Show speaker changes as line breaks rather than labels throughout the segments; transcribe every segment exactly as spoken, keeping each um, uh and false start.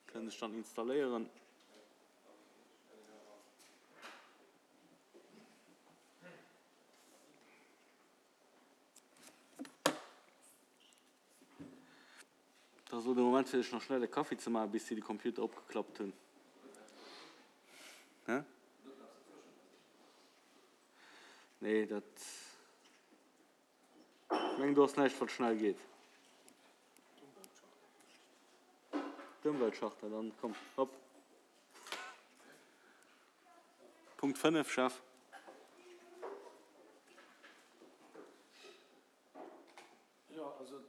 Kënnen sech dann installéieren. Dat ass elo de Moment fir sech nach schnell e Kaffi ze maachen, bis si de Computer opgeklappt hunn. Hä? Nee, dat, ech mengen do ass näischt wat schnell geet. D'Ëmweltcharta, dann komm, hopp. Punkt fënnef, Chef.
Jo, also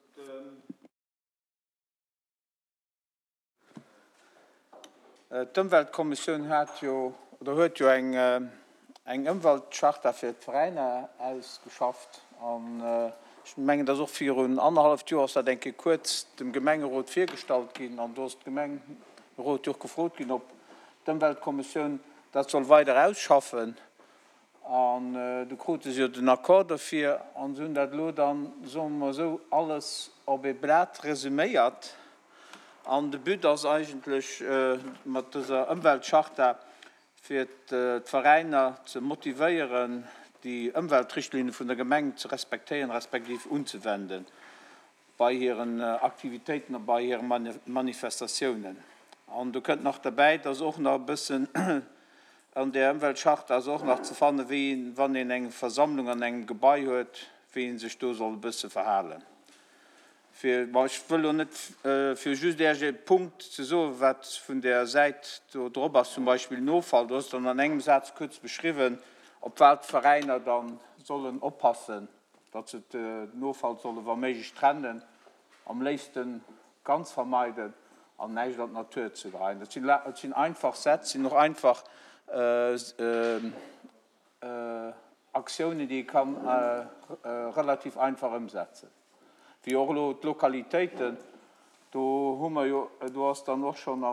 d'Ëmweltkommissioun hat jo, oder huet jo eng, eng Ëmweltcharta fir d'Veräiner ausgeschafft. An ech mengen, dass och virun annerhalleft Joer ass dat eng Kéier kuerz dem Gemengerot virgestallt ginn. An do ass de Gemengerot jo och gefrot ginn, ob d'Ëmweltkommissioun dat soll weider ausschaffen. An du krute se jo den Accord dofir. An se hunn dat elo dann, soe mer esou, alles op ee Blat resüméiert. An de But ass eigentlech mat dëser Ëmweltcharta, fir d'Veräiner ze motivéieren, déi Ëmweltrichtlinne vun der Gemeng ze respektéieren, respektiv unzewenden bei hiren Aktivitéiten a bei hire Manifestatiounen. An do kënnt nach derbäi, dass och nach e bëssen an där Ëmweltcharta ass och nach ze fannen, wéi een, wann een eng Versammlung an engem Gebai huet, wéi ee sech do soll e bësse verhalen. Fir, bon, ech wëll elo net, fir just Iech e Punkt ze soen, wat vun där Säit do drop ass, zum Beispill den Offall, do ass dann an engem Saz kuerz beschriwwen, op wat d'Veräiner da sollen oppassen, datt se den Offall solle wa méiglech trennen, am léifste ganz vermeiden an näischt an d'Natur ze geheien. Dat sinn, dat sinn einfach Sätz, sinn och einfach Aktiounen, déi ee kann relativ einfach ëmsetzen. Wéi och elo d'Lokalitéiten, do hu mer jo, do ass dann och schonn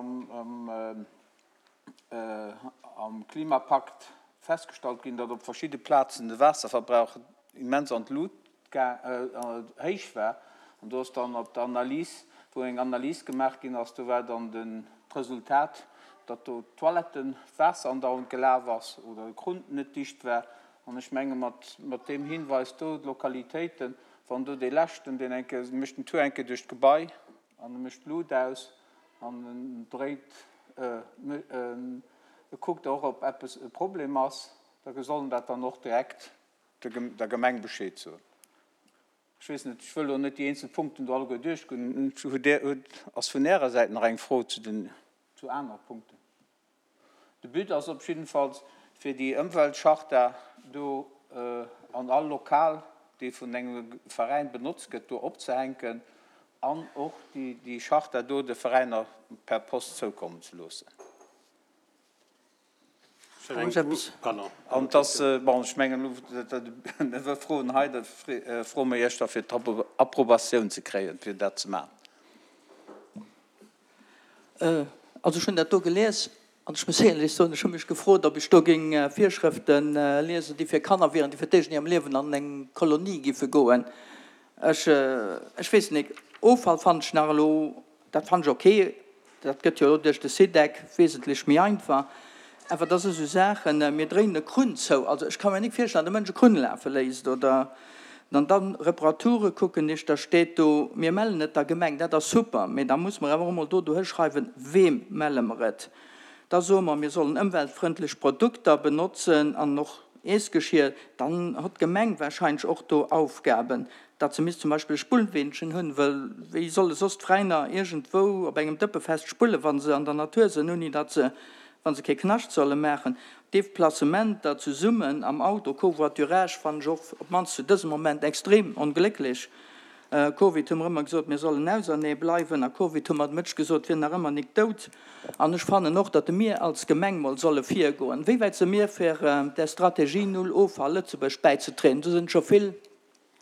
am Klimapakt festgestallt ginn, datt op verschidde Plazen de Waasserverbrauch immens an d'Lut héich war. An do ass dann op der Analys, wou eng Analys gemaach ginn ass, do war dann d'Resultat, datt do d'Toiletten d'Waasser andauernd gelaf ass oder de Krunn net dicht war. An ech menge mat deem Hinweis do, d'Lokalitéiten, wann do dee leschten, deen eng Kéier mécht den Tour eng Kéier duerch d'Gebai an e mécht d'Lut aus an en dréit, e kuckt och, ob eppes e Problem ass, da soll en dat dann och direkt der Gemeng Bescheed soen. Ech weess net, ech wëll elo net déi eenzel Punkten do alleguer duerchgoen. Hutt Dir, hutt, ass vun Ärer Säit nach eng Fro zu den, zu anere Punkten? De But ass op jiddefalls, fir déi Ëmweltcharta do an all Lokal, déi vun engem Veräin benotzt gëtt, do opzehänken an och déi Charta do de Veräiner per Post zoukommen ze loossen. An et ass, bon, ech mengen elo, dat Froen hei, da froe mer Iech da fir d'Approbatioun ze kréien, fir dat ze maachen.
Also ech hunn dat do gelies an ech muss éierlech soen, ech hu mech gefrot, ob ech do géing Virschrëfte liesen, déi fir Kanner wieren, déi fir d'éischt an hirem Liewen an eng Kolonie giffe goen. Ech, ech weess nik. Offall fannen ech nach elo, dat fannen ech ok, dat gëtt jo elo duerch de SIDEC wesentlech méi einfach. Awer da si sou Saachen, mir dréinen e Krunn zou, also ech ka mir nik virstellen, datt e Mënsch e Krunn lafe léisst oder an dann Reparature kucken ech, da steet do, mir mellen et der Gemeng, dat ass super, mee da muss mer awer och emol do dohi schreiwen, weem melle mer et. Da soe mer, mir sollen ëmweltfrëndlech Produkter benotzen an och Iessgeschier, dann hott d'Gemeng wahrscheinlech och do Aufgaben, datt se misst zum Beispill e Spullweenchen hunn, wëll wéi solle soss d'Veräiner iergendwou op engem Dëppefest spulle wa se an der Natur sënn, ouni datt se, wa se kee Knascht solle maachen. Deplacementer zesummen am Auto, Covoiturage, fannen ech och op d'mannst zu dësem Moment extrem onglécklech. Covid hu mer ëmmer gesot, mir sollen ausernee bleiwen. A Covid hu mer de Mëtsch gesot, wier nach ëmmer nik dout. An ech fannen och, datt mir als Gemeng mol solle virgoen. Wéi wäit si mir fir där Strategie Null Offall Lëtzebuerg bäizetrieden? Do sinn scho vill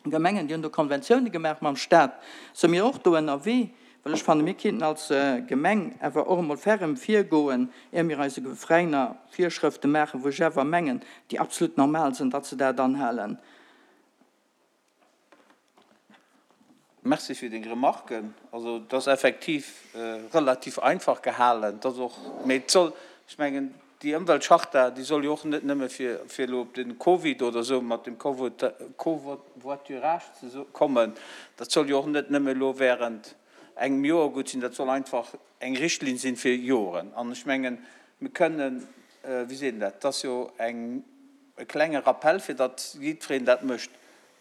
Gemengen, déi hunn do Konventioune gemaach mam Staat. Si mir och do ënnerwee? Well ech fanne mir kéinten als Gemeng awer och emol ferrem virgoen, ier mir eise Veräiner Virschrëfte maachen, wou ech awer mengen, déi absolut normal sinn, datt se dat anhalen.
Merci fir deng Remarken. Also et ass effektiv relativ einfach gehalen. Et ass och, mee et soll, ech mengen, déi Ëmweltcharta, déi soll jo och net nëmme fir, fir elo op de Covid oder esou mat dem Covoiturage ze kommen, dat soll jo och net nëmme elo während engem Joer gutt sinn, dat soll einfach eng Richtlinn sinn fir Joren. An ech mengen, mir kënnen, wéi seet een dat, et ass jo eng, e klenge Rappel, fir datt jiddwereen dat mécht.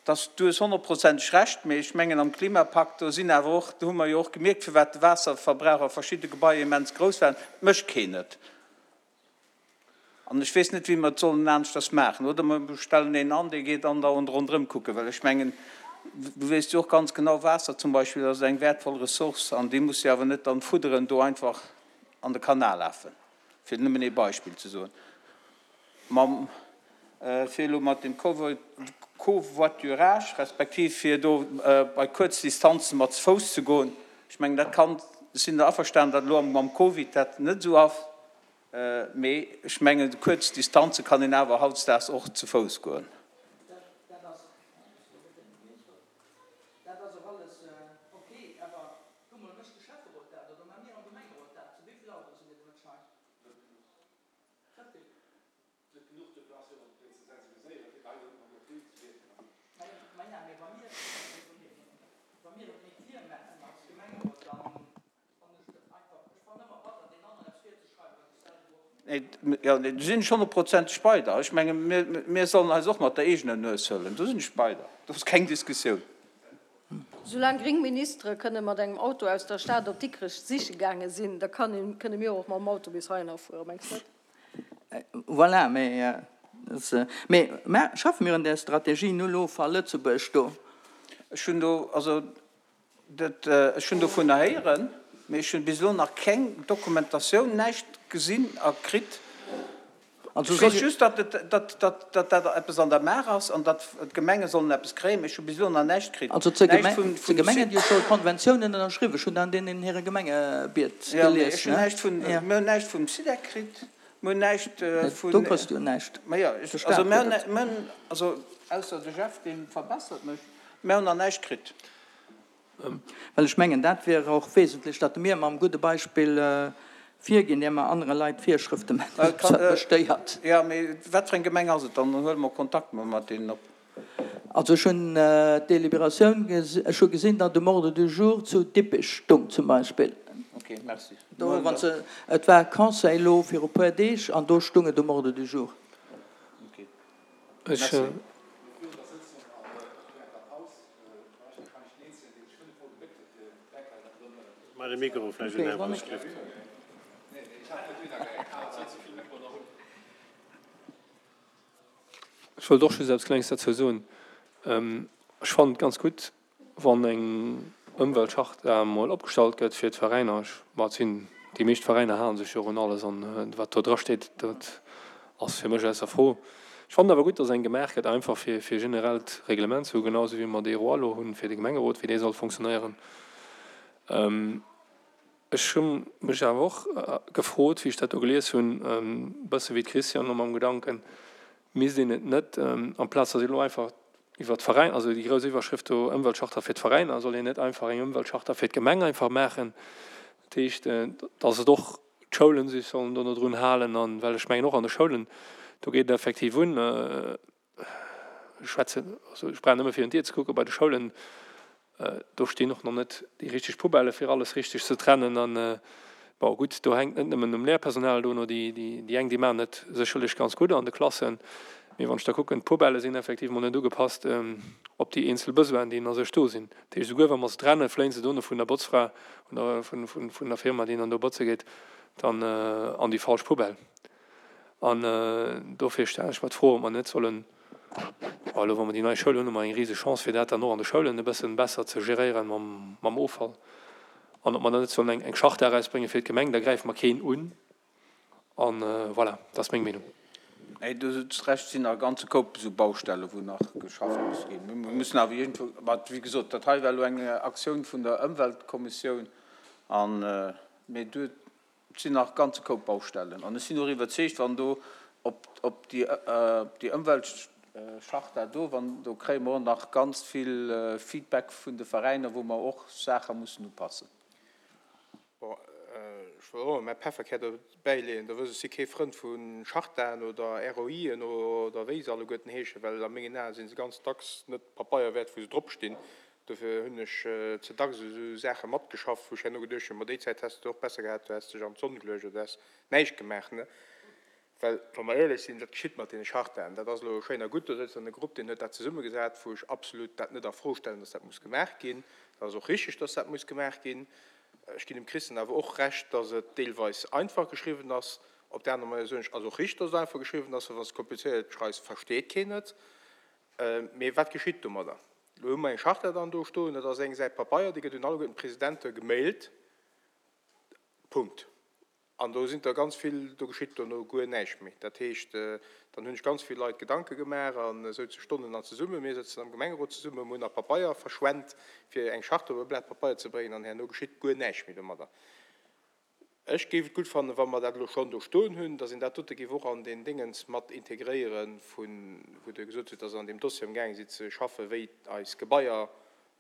Dass, du hues honnertprozenteg Recht, mee ech mengen am Klimapakt, do sinn awer och, do hu mer jo och gemierkt, firwat de Waasserverbrauch a verschidde Gebaier immens grouss war, et mécht keen et. An ech weess net, wéi mer et sollen aneschters maachen. Oder mer stellen een an, dee geet andauernd ronderëm kucken, well ech mengen, du weess jo och ganz genau, Waasser zum Beispill ass eng wäertvoll Ressource an déi muss jo awer net dann fudderen do einfach an de Kanal lafen, fir nëmmen ee Beispill ze soen. Mam, fir elo mat dem Covoiturage, respektiv fir do bei kuerz Distanze mat ze Fouss ze goen, ech mengen, dat kann, ech sinn der averstanen, datt elo mam Covid dat net esou ass, mee ech mengen, kuerz Distanze kann een awer hautdesdaags och ze Fouss goen. Jo, do sinn ech honnertprozenteg bei der. Ech menge mir sollen eis och mat der eegener Nues huelen. Do sinn ech bei der. Do ass keng Diskussioun.
Soulaang gréng Ministere kënne mat engem Auto aus der Stad op Dikrech siche gaange sinn, da kënne mir och mam Auto bis heihinner fueren, mengs net?
Voilà, mee mä schaffe mir un där Strategie Null Offall Lëtzebuerg do?
Ech hunn do, also dat, ech hunn dovunner héieren, mee ech hunn bis elo nach keng Dokumentatioun, näischt gesinn a kritt. Ech weess just, datt et, datt, datt, datt dat eppes an der Maach ass an datt d'Gemenge sollen eppes kréien, mee ech hu bis elo nach näischt kritt.
Also zur Gemengen, déi hu scho Konventiounen ënnerschriwwen. Ech hunn dat an deenen hire Gemengebiet
gelies. Jo, mee ech hunn näischt vun, mir hunn näischt vum SIDEC kritt, mir hunn näischt vun.
Do kriss du jo näischt.
Ma jo, also mir hunn, mir hunn, also ausser de Jeff, dee verbessert mech, mir hunn nach näischt kritt.
Well ech mengen, dat wier och wesentlech, datt mir mam gudde Beispill virginn, ier mer anere Leit Virschrëfte maachen, wat mech stéiert.
Jo, mee wat fir eng Gemeng ass et dann? Dann huele mer Kontakt mol mat deenen op.
Also ech hunn d'Deliberatioun, ech hu gesinn, datt um Ordre du jour zu Dippech stung zum Beispill.
Ok, merci.
Do, wann se, et war Conseil elo viru puer Deeg an do stung et um Ordre du jour.
Ok, merci.
Ech wollt och just eppes Klenges derzou soen. Ech fannen et ganz gutt, wann eng Ëmweltcharta emol opgestallt gëtt fir d'Veräiner. Ech, ma et sinn, déi meescht Veräiner hale sech jo och un alles an wat do drasteet, dat ass fir mech ausser Fro. Ech fannen awer gutt, dass eng gemaach gëtt, einfach fir fir generellt Reglement ze hu, genau esou wéi mer dee Roi elo hunn fir de Gemengerot, wéi dee soll fonctionnéieren. Ech hu mech awer och gefrot, wéi ech dat do gelies hunn, e bësse wéi d'Christiane elo mam Gedanken, misst een et net, amplaz datt ee elo einfach iwwer d'Veräin, also déi grouss Iwwerschrëft do Ëmweltcharta fir d'Veräiner, soll een net einfach eng Ëmweltcharta fir d'Gemeng einfach maachen? Dat heescht, datt et och d'Schoulen sech sollen do no drun halen an, well ech mengen och an de Schoulen, do geet et effektiv un, ech schwätzen, also ech brauch nëmme virun d'Dier ze kucken, bei de Schoulen, Do stinn och nach net déi richteg Poubellë fir alles richteg ze trennen. An, bon, gutt, do hänkt net nëmmen um Léierpersonal dono. Déi, déi eng, déi maachen et sécherlech ganz gutt an de Klassen. Mee wann ech da kucken, d'Poubellë sinn effektivement net ugepasst op déi eenzel Besoinen, déi a sech do sinn. Dat heescht, esouguer wa mer se trennen, fléien se dono vun der Botzfra oder vun, vun der Firma, déi dann do botze geet, dann an déi falsch Poubelle. An dofir stellen ech mer d'Fro, ob mer net sollen, bon, elo wa mer déi nei Schoul hunn, hu mer eng riseg Chance, fir dat dann och an de Schoulen e bëssen besser ze geréieren mam, mam Offall. An ob mer dann net sollen eng, eng Charta erausbréngen fir d'Gemeng, da gräife mer keen un. An voilà, dat ass meng Meenung.
Nee, du hues Recht, et sinn nach e ganze Koup esou Baustellen, wou nach geschafft muss ginn. Mir mussen awer iergendwou, mä wéi gesot, dat hei war elo eng Aktioun vun der Ëmweltkommissioun an, mee du, Et sinn nach e ganze Koup Baustellen. An ech sinn och iwwerzeegt, wann do op déi Ëmweltcharta Charta do, wann do kréie mer och nach ganz vill Feedback vun de Veräiner, wou mer och Saache mussen upassen.
Bon, ech wëll och mäi Pefferkär dobäi leeën, Der wësst, ech si kee Frënd vu Chartaen oder ROIen oder wéi se alleguerten heeschen, well a mengen Ae si se ganz dacks net Pabeier wäert, wou se dropstinn. Dofir hunn ech ze dacks esou Saache matgeschafft, wou ech herno geduecht hunn, ma déi Zäit häss de och besser gehat, du häss dech an d'Sonn geluecht oder du häss näischt gemaach. Well, wa mer éierlech sinn, wat geschitt mat deene Chartaen? Dat ass elo schéin a gutt, do sëtzt dann e Grupp, deen huet dat zesummegesat, wou ech absolut dat net a Fro stellen, dass dat muss gemaach ginn. Dat ass och richtig, dass dat muss gemaach ginn. Ech ginn dem Christian awer och Recht, dass et deelweis einfach geschriwwen ass. Op där aner Manéier soen ech, ass och richtig, dass et einfach geschriwwen ass, well wann s de komplizéiert schreifs, versteet keen et. Mee wat geschitt domadder? Elo hu mer eng Charta dann do stoen, dat ass eng Säit Papeier, déi gëtt un alleguerten d'Presidente gemailt. Punkt. An do sinn der ganz vill, do geschitt dono guer näischt méi. Dat heescht, dann hunn ech ganz vill Leit Gedanke gemaach a souze Stonnen an zesumme, mir sëtzen am Gemengerot zesumme, mir hunn nach Papeier verschwent, fir eng Charte op e Blat Papeier ze bréngen, an herno geschitt guer näischt méi domadder. Ech géif et gutt fannen, wa mer dat elo schonn do stoen hunn, dass een dat dote géif och an deen Déngens mat integréieren, vu wou Der gesot hutt, dass Der an deem Dossier amgaange sidd ze schaffen, wéi eis Gebaier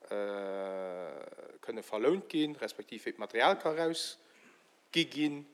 kënne verlount ginn, respektiv wéi d'Material ka erausgi ginn,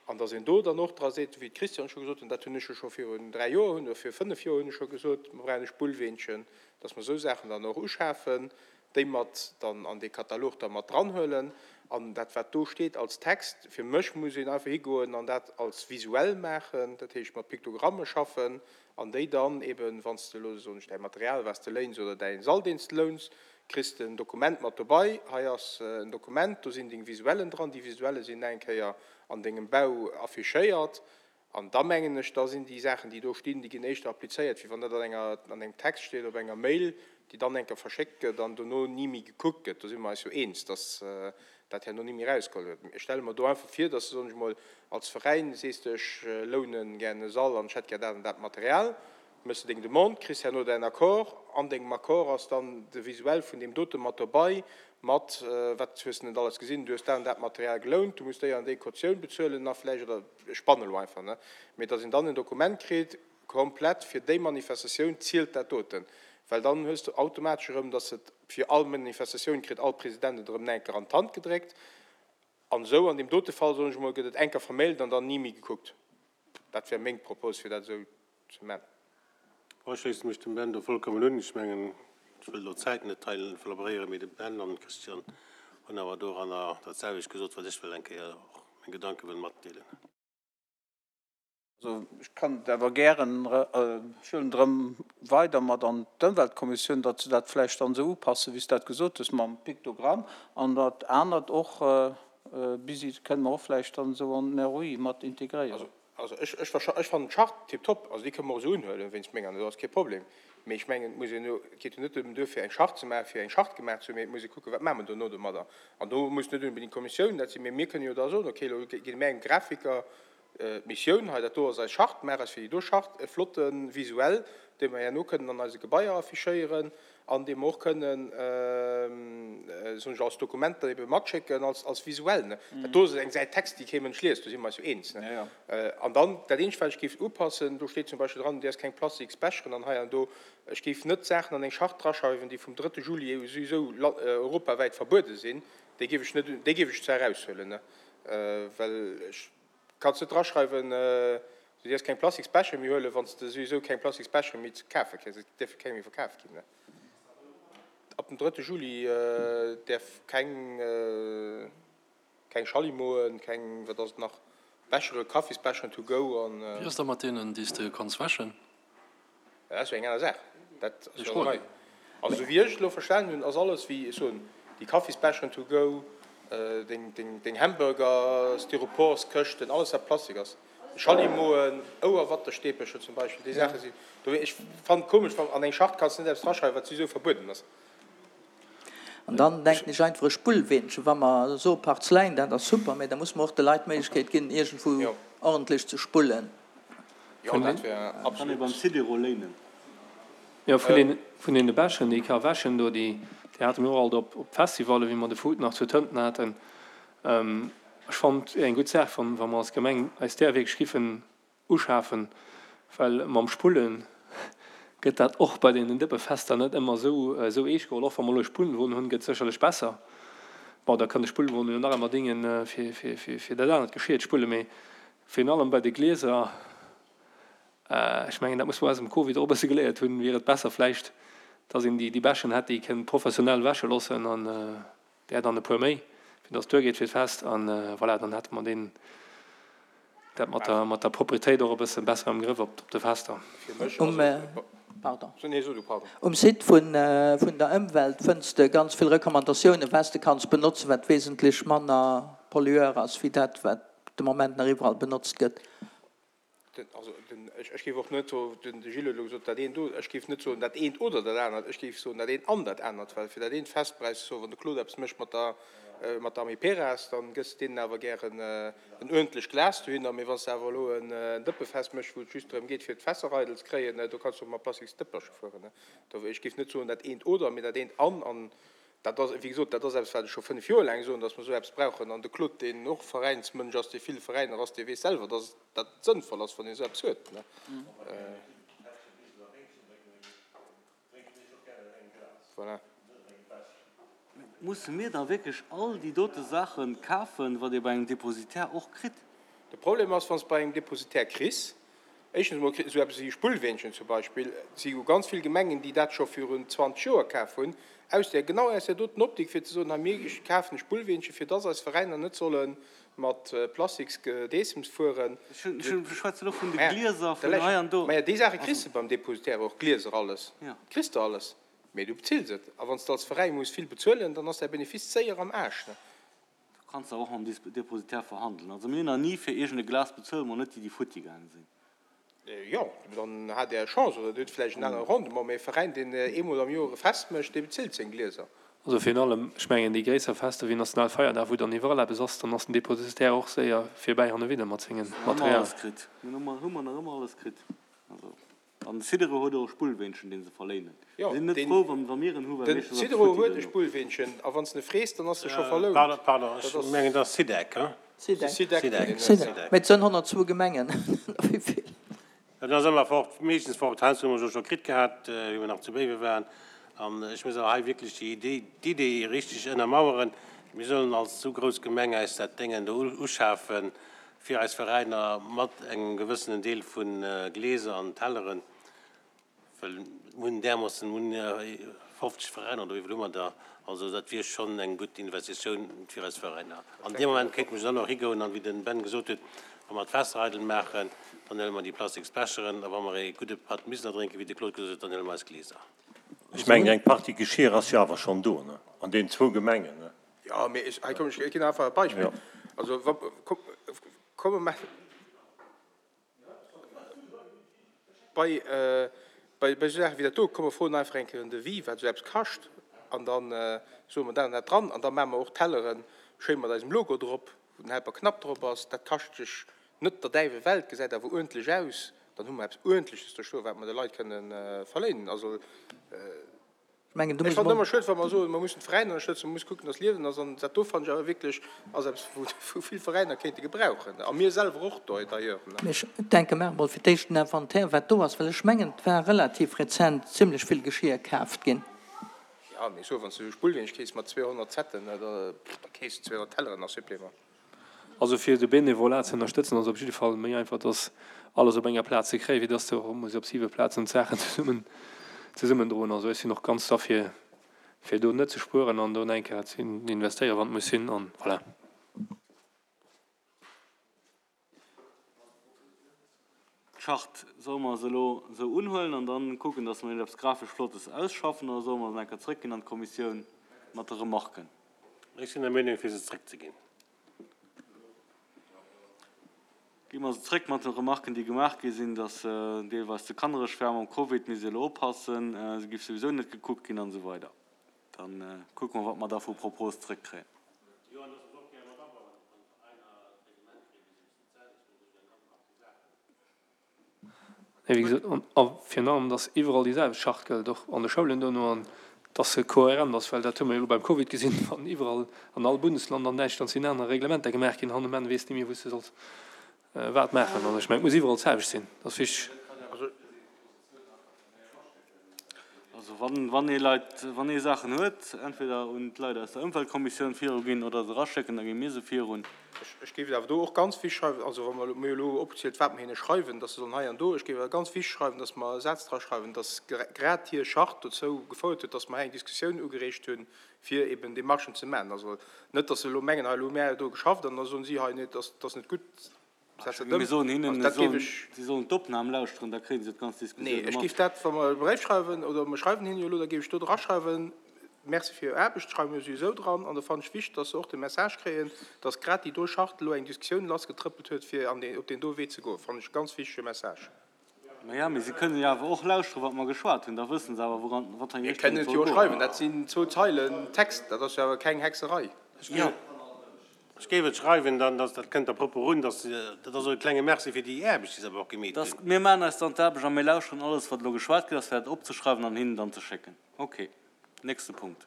an dass een do dann och dra seet, wéi d'Christiane scho gesot huet, dat hunn ech jo scho virun dräi Joer hunn oder viru fënnef Joer hunn ech scho gesot, mer brauchen e Spullweenchen, dass mer esou Saachen dann och uschafen, déi mat dann an dee Katalog da mat dranhuelen. An dat, wat do steet als Text, fir mech muss een einfach higoen an dat als visuell maachen, dat heescht mat Piktogramme schaffen an déi dann eben, wann s de elo, soen ech, däi Material, wat s de léins oder däi Sall, deen s de louns, kriss de en Dokument mat dobei, hei ass en Dokument, do sinn deng Visuellen dran, déi Visuelle sinn eng Kéier an dengem Bau affichéiert. An da mengen ech, da sinn déi Saachen, déi do stinn, déi ginn éischter applizéiert, wéi wann dat an enger, an engem Text steet op enger Mail, déi dann eng Kéier verschéckt gëtt an dono ni méi gekuckt gëtt. Do si mer eis jo eens, dass dat herno ni méi erausgeholl gëtt. Ech stelle mer do einfach vir, dass de, soen ech emol, als Veräin sees de, ech loune gär e Sall an ech hätt gär dat an dat Material, méchs de deng Demande, kriss herno däin Accord. An dengem Accord ass dann de Visuel vun deem dote mat dobei, mat, wat hues de net alles gesinn, du hues dat an dat Material gelount, du muss déi an déi Kautioun bezuelen a vläicht, oder ech spannen elo einfach, ne, mee dass een dann en Dokument kritt, komplett fir déi Manifestatioun zielt dat doten, well dann hues de automatesch erëm, dass et fir all Manifestatioun kritt all President et erëm enker an d'Hand gedréckt. An esou an deem dote Fall, soen ech emol, gëtt et enker vermailt an dann ni méi gekuckt. Dat wär meng Propos, fir dat esou ze man.
Ech schléisse mech dem Ben do vollkommen un. Ech mengen, ech wëll elo d'Zäit net hei verlabréieren, mee de Ben an d'Christiane hunn awer doranner dat selwecht gesot, wat ech wëll eng Kéier och meng Gedanke wëll matdeelen.
Also ech kann et awer gären, ech huelen et erëm weider mat an d'Ëmweltkommissioun, datt se dat vläicht dann esou upassen, wéi s de dat gesot hues mam Piktogramm an dat anert och bis, kënne mer och vläicht dann esou an den ROI mat integréieren.
Also ech, ech, ech fannen d'Charte tiptop, also déi kënne mer och esou unhuelen, wéinst menger, do ass kee Problem. Mee ech mengen, et muss een jo, et geet jo net drëm duerfir eng Charte ze maachen, fir eng Charte gemaach ze hunn, mee et muss ee kucken, wat maache mer dono domadder. An do muss net onbedéngt d'Kommissioun dat sinn, mee mir kënnen jo da soen, okay, elo gi mir engem Grafiker d'Missioun, hei dat do ass eis Charte, maach eis fir déi do Charte e flotte Visuell, dee mer herno kënnen an eise Gebaier affichéieren an dee mer och kënnen, soen ech, als Dokument dann ebe matschécken, als, als Visuell, ne. Dat do ass eng Säit Text, déi kee Mënsch liest, do si mer eis jo eens, ne. An dann, dat eenzegt, wat ech géif upassen, do steet zum Beispill dran, du däerfs keng plastiks Becheren an hei an do. Ech géif net Saachen an eng Charte draschreiwen, déi vum drëtte Juli souwisou europawäit verbuede sinn. Déi géif ech net, déi géif ech zwar eraushuelen, ne, well ech, Kanns net draschreiwen, du dierfs keng plastiks Bechere méi huelen, wann s de souwisou keng plastiks Bechere méi ze kafe kriss. Et dierfe keng méi verkaf ginn. Ab dem drëtte Juli däerf keng, keng Schallimoen, keng, wat ass et nach, Bechere, Kaffisbecheren to go an.
Wéi ass da mat deenen, déi s de kanns wäschen?
Dat ass jo eng aner Saach. Dat ass jo nei. Also esou wéi ech et elo verstanen hunn, ass alles wéi ech soen, déi Kaffisbecheren to go, deng Hamburger, Styroporskëschten, alles wat Plastik ass, Schallimoen, Ouerwattestäbercher zum Beispill, déi Saache sinn do. Ech fannen et komesch, wann an eng Charte kanns de net eppes draschreiwen, wat souwisou verbueden ass.
An dann denken ech einfach e Spullweenchen, wa mer soe Parzeläin, dat ass super, mä da muss mer och de Leit d'Méiglechkeet ginn, iergendwou ordentlech ze spullen.
Jo, dat wär
Kann ee
absolut.
beim Sidero léinen.
Jo, vun vun deene Becheren, déi ka wäschen do, déi déi hate mir och alt op op Festivalle wéi mer de Food nach zu Tënten haten. Ech fannen et wier eng gutt Saach, wann wa mer als Gemeng eis där wierklech giffen uschafen, well mam Spullen gëtt dat och bei deenen Dëppefester net ëmmer esou esou eescht geholl. Och wa mer elo e Spullwon hunn, gëtt sécherlech besser. Bon, da kann de Spullwon jo nach ëmmer dingen, fir fir fir fir dat anert Geschir ze spullen, mee virun allem bei de Glieser, ech mengen, dat muss mer aus dem Covid och e bësse geléiert hunn, wier et besser vläicht, dass een déi déi Bäschen hätt, déi kënnt professionell wäsche loossen an där dann e puer méi, fir dass et duergeet fir d'Fest. An voilà, dann hätte mer deen dat mat der mat der Propretéit och e bësse besser am Grëff op de Fester.
Um, pardon, um Site vun vun der Ëmwelt fënns de ganz vill Recommandatiounen, wat s de kanns benotzen, wat wesentlech manner pollueur ass wéi dat, wat de Moment nach iwwerall benotzt gëtt.
Also den, ech géif och net soen, den Gilles huet elo gesot, dat eent oder, ech géif net soen dat eent oder dat anert, ech géif soen dat eent an dat anert, well fir dat eent Fest brauchs de soen, wann de Claude eppes mécht mat der, mat der Amiperas, dann gëss de deenen awer gären en uerdentlecht Glas dohinner, mee wann s de awer elo en Dëppefest méchs, wou et just drëm geet fir d'Fässer eidel ze kréien, do kanns de och mat plastiks Dëppercher fueren. Ech géif net soen dat eent oder, mee dat eent an. An Dat ass, wéi gesot, dat ass eppes, wat ech scho fënnef Joer laang soen, dass mer esou eppes brauchen. An de Claude, deen och Veräinsmënsch ass, dee vill Veräiner ass, dee weess selwer, dass dat sënnvoll ass, wann een esou eppes huet. Voilà.
Musse mir da wierklech all déi dote Saache kafen, wat ee bei engem Depositaire och kritt?
De Problem ass, wann s de bei engem Depositaire kriss, Éischtens emol esou eppes wéi e Spullweenchen zum Beispill, et si jo ganz vill Gemengen, déi dat scho virun zwanzeg Joer kaf hunn, aus där, genau aus där doten Optik, fir ze soen, hei mir kafen e Spullweenche fir dass eis Veräiner net solle mat Plastiksgedeessems fueren.
Ech schwätzen elo vun de Glieser, vun hei an do.
Maja, déi Saache kriss de beim Depositaire och, Glieser, alles, kriss de alles, mee du bezills et. A wann s de als Veräi muss vill bezuelen, dann ass däi Benefice séier am Aarsch.
Du kanns awer och mam Depositaire verhandelen. Also mir hunn nach ni fir iergend e Glas bezuelt, mol net déi, déi futti gaange sinn.
Jo, dann hat Der Chance oder Dir hutt vläicht en anere Rendement. Mee e Veräin, deen eemol am Joer e Fest mécht, dee bezilt seng Glieser.
Also virun allem, ech mengen, déi gréisser Fester wéi Nationalfeierdag, wou dann iwwerall eppes ass, dann ass den Depositaire och séier virbäi hannewidder mat sengem
Hu mer
Material.
alles kritt. Mir hu mer nach ëmmer alles kritt. Also. An de Sidero huet och e Spullweenchen, dee se verléinen.
Jo,
Si sinn net
den
frou, wa mir en hu, well
den
meeschtens ass et
Sidero
futti
huet e
duerno.
Spullweenchen, a wann s de e frees, dann ass e scho verlount.
Pardon, pardon,
Dat
ech
ass.
mengen, et ass Sidec, hein?
Sidec.
Sidec,
Sidec,
deen huet.
Sidec.
Sidec.
Mee et sënn honnertzwou Gemengen, wéi vill?
Dat ass ëmmer fort, meeschtens fort. Heiansdo hu mer se scho kritt gehat, wéi mer nach zu Béiwe waren. An ech muss awer hei wierklech déi Idee, d'Idee richteg ënnermaueren. Mir sollen als esou grouss Gemeng eis dat Déngen do uschafen, fir eis Veräiner mat engem gewëssenen Deel vu Gläser an Telleren, well mir hunn därmoossen, mir hunn fofzeg Veräiner oder wéi vill hu mer der, also dat wier schonn eng gutt Investitioun fir eis Veräiner. An deem Moment kéinte mer jo dann och higoen an, wéi den Ben gesot huet, wa mer d'Fässer eidel maachen, dann huele mer déi plastiks Becheren a wa mer ee gudde Patt Miseler drénken, wéi de Claude gesot huet, dann huele mer eis Gläser.
Ech mengen, eng Partie Geschir ass jo awer schonn do, ne, an deenen zwou Gemengen, ne?
Jo, mee ech, hei komm, ech ginn einfach e Beispill. Also wa, komm, mer maachen bei, bei, bei esou Saache wéi dat do, komm mer froen einfach eng Kéier en Devis, wat esou eppes kascht, an da soe mer dat an dat dran an da maache mer och Tellere schéi mat eisem Logo drop, wou den Helper Knapp drop ass. Dat kascht sech net der däiwel Welt, gesäit awer uerdentlech aus. Dann hu mer eppes Uerdentleches do stoen, wat mer de Leit kënnen verléinen. Also
Ech mengen, do
ech
muss
fannen et
mer.
ëmmer schued, wa mer soen, mer mussen d'Veräiner ënnerstëtzen, mer musse kucken, dass Liewen ass. An dat do fannen ech awer wierklech ass eppes, wou wou vill Veräiner kéinte gebrauchen, a mir selwer och d'ailleurs.
Mee ech denke, maache mol fir d'éischt den Inventaire, wat do ass, well ech mengen, et war relativ rezent zimlech vill Geschir kaaft ginn.
Jo, mee so, wann s de esou Spullweench kees mat zweehonnert Setten, da kees de zweehonnert Telleren nach supplément.
Also fir de Bénévolat ze ënnerstëtzen ass op jidde Fall méi einfach, dass alles op enger Plaz ze kréien, wéi dass de och muss op siwe Plazen d'Saachen zesummen zesummendroen. Also ech sinn och ganz derfir, fir do net ze spueren an do eng Kéier ze investéieren, wann et muss sinn. An voilà.
D'Charte, solle mer se elo esou unhuelen an dann kucken, dass mer iergendeppes grafesch Flottes ausschaffen, oder solle mer se eng Kéier zrëckginn an d'Kommissioun mat de Remarken?
Ech sinn der Meenung, fir se zrëckzeginn.
Gi mer se zrëck mat de Remarken, déi gemaach gi sinn, dass se deelweis ze kannereg war mam Covid, misst ee elo oppassen, se giff souwisou net gekuckt ginn an esou weider. Da kucke mer, wat mer da vu Propos zrëckkréien.
Wéi gesot, a virun allem, dass iwwerall déi selwecht Charte gëllt, och an de Schoulen dono, an dass se kohärent ass, well dat hu mer jo elo beim Covid gesinn, wann iwwerall an all Bundesland, an Däitschland sinn aner Reglementer gemaach ginn, han um Enn weess de ni méi, wou s de solls wat maachen. An ech mengen, et muss iwwerall d'selwecht sinn, dat ass wichteg.
Also wann, wann ee Leit, wann ee Saachen huet, entweder un d'Leit aus der Ëmweltkommissioun viruginn oder se eraschécken, da gi mir se virun.
Ech, ech géif et awer do och ganz wichtig schreiwen, also wa mer, mir hu elo opgezielt, wat mer hinne schreiwen, dass se sollen hei an do, ech géif awer ganz wichtig schreiwen, dass mer e Saz dra schreiwen, dass grad hir Charte dozou gefouert huet, dass mer hei eng Diskussioun ugereegt hunn, fir eben Démarchen ze maachen. Also net, dass se elo mengen, hei elo hu mär do geschafft an da soen si hei, nee, dat ass net gutt.
Mir soen hinnen, si sollen d'Opnam lauschteren, da kréie se d'ganz Diskussioun
mat. Nee, ech géif dat, wa mer e Bréif schreiwen, oder mer schreiwen hinnen jo elo, da géif ech do draschreiwen, Merci fir Är Aarbecht, schreiwe mir souwisou dran. An da fannen ech wichteg, dass se och de Message kréien, dass grad déi do Charte elo eng Diskussioun lassgetrëppelt huet, fir an deen, op deen do Wee ze goen. Fannen ech e ganz wichtege Message.
Maja, mee si kënnen jo awer och lauschteren, wat mer geschwat hunn. Da wësse se awer, wouran, wat
eng Richtung et soll goen. Mir kënnen et jo schreiwen. Dat sinn zwou Zeilen Text. Dat ass jo awer keng Hexerei.
Jo. Ech géif et schreiwen, dann, dass, dat kënnt da propper un, dass, dat ass och e klenge Merci fir déi Aarbecht, déi se awer och gemeet
hunn. Mir maachen eis dann d'Aarbecht a mir lauschteren alles, wat elo geschwat ginn ass, fir dat opzeschreiwen an hinnen dann ze schécken. Okay. Nächste Punkt.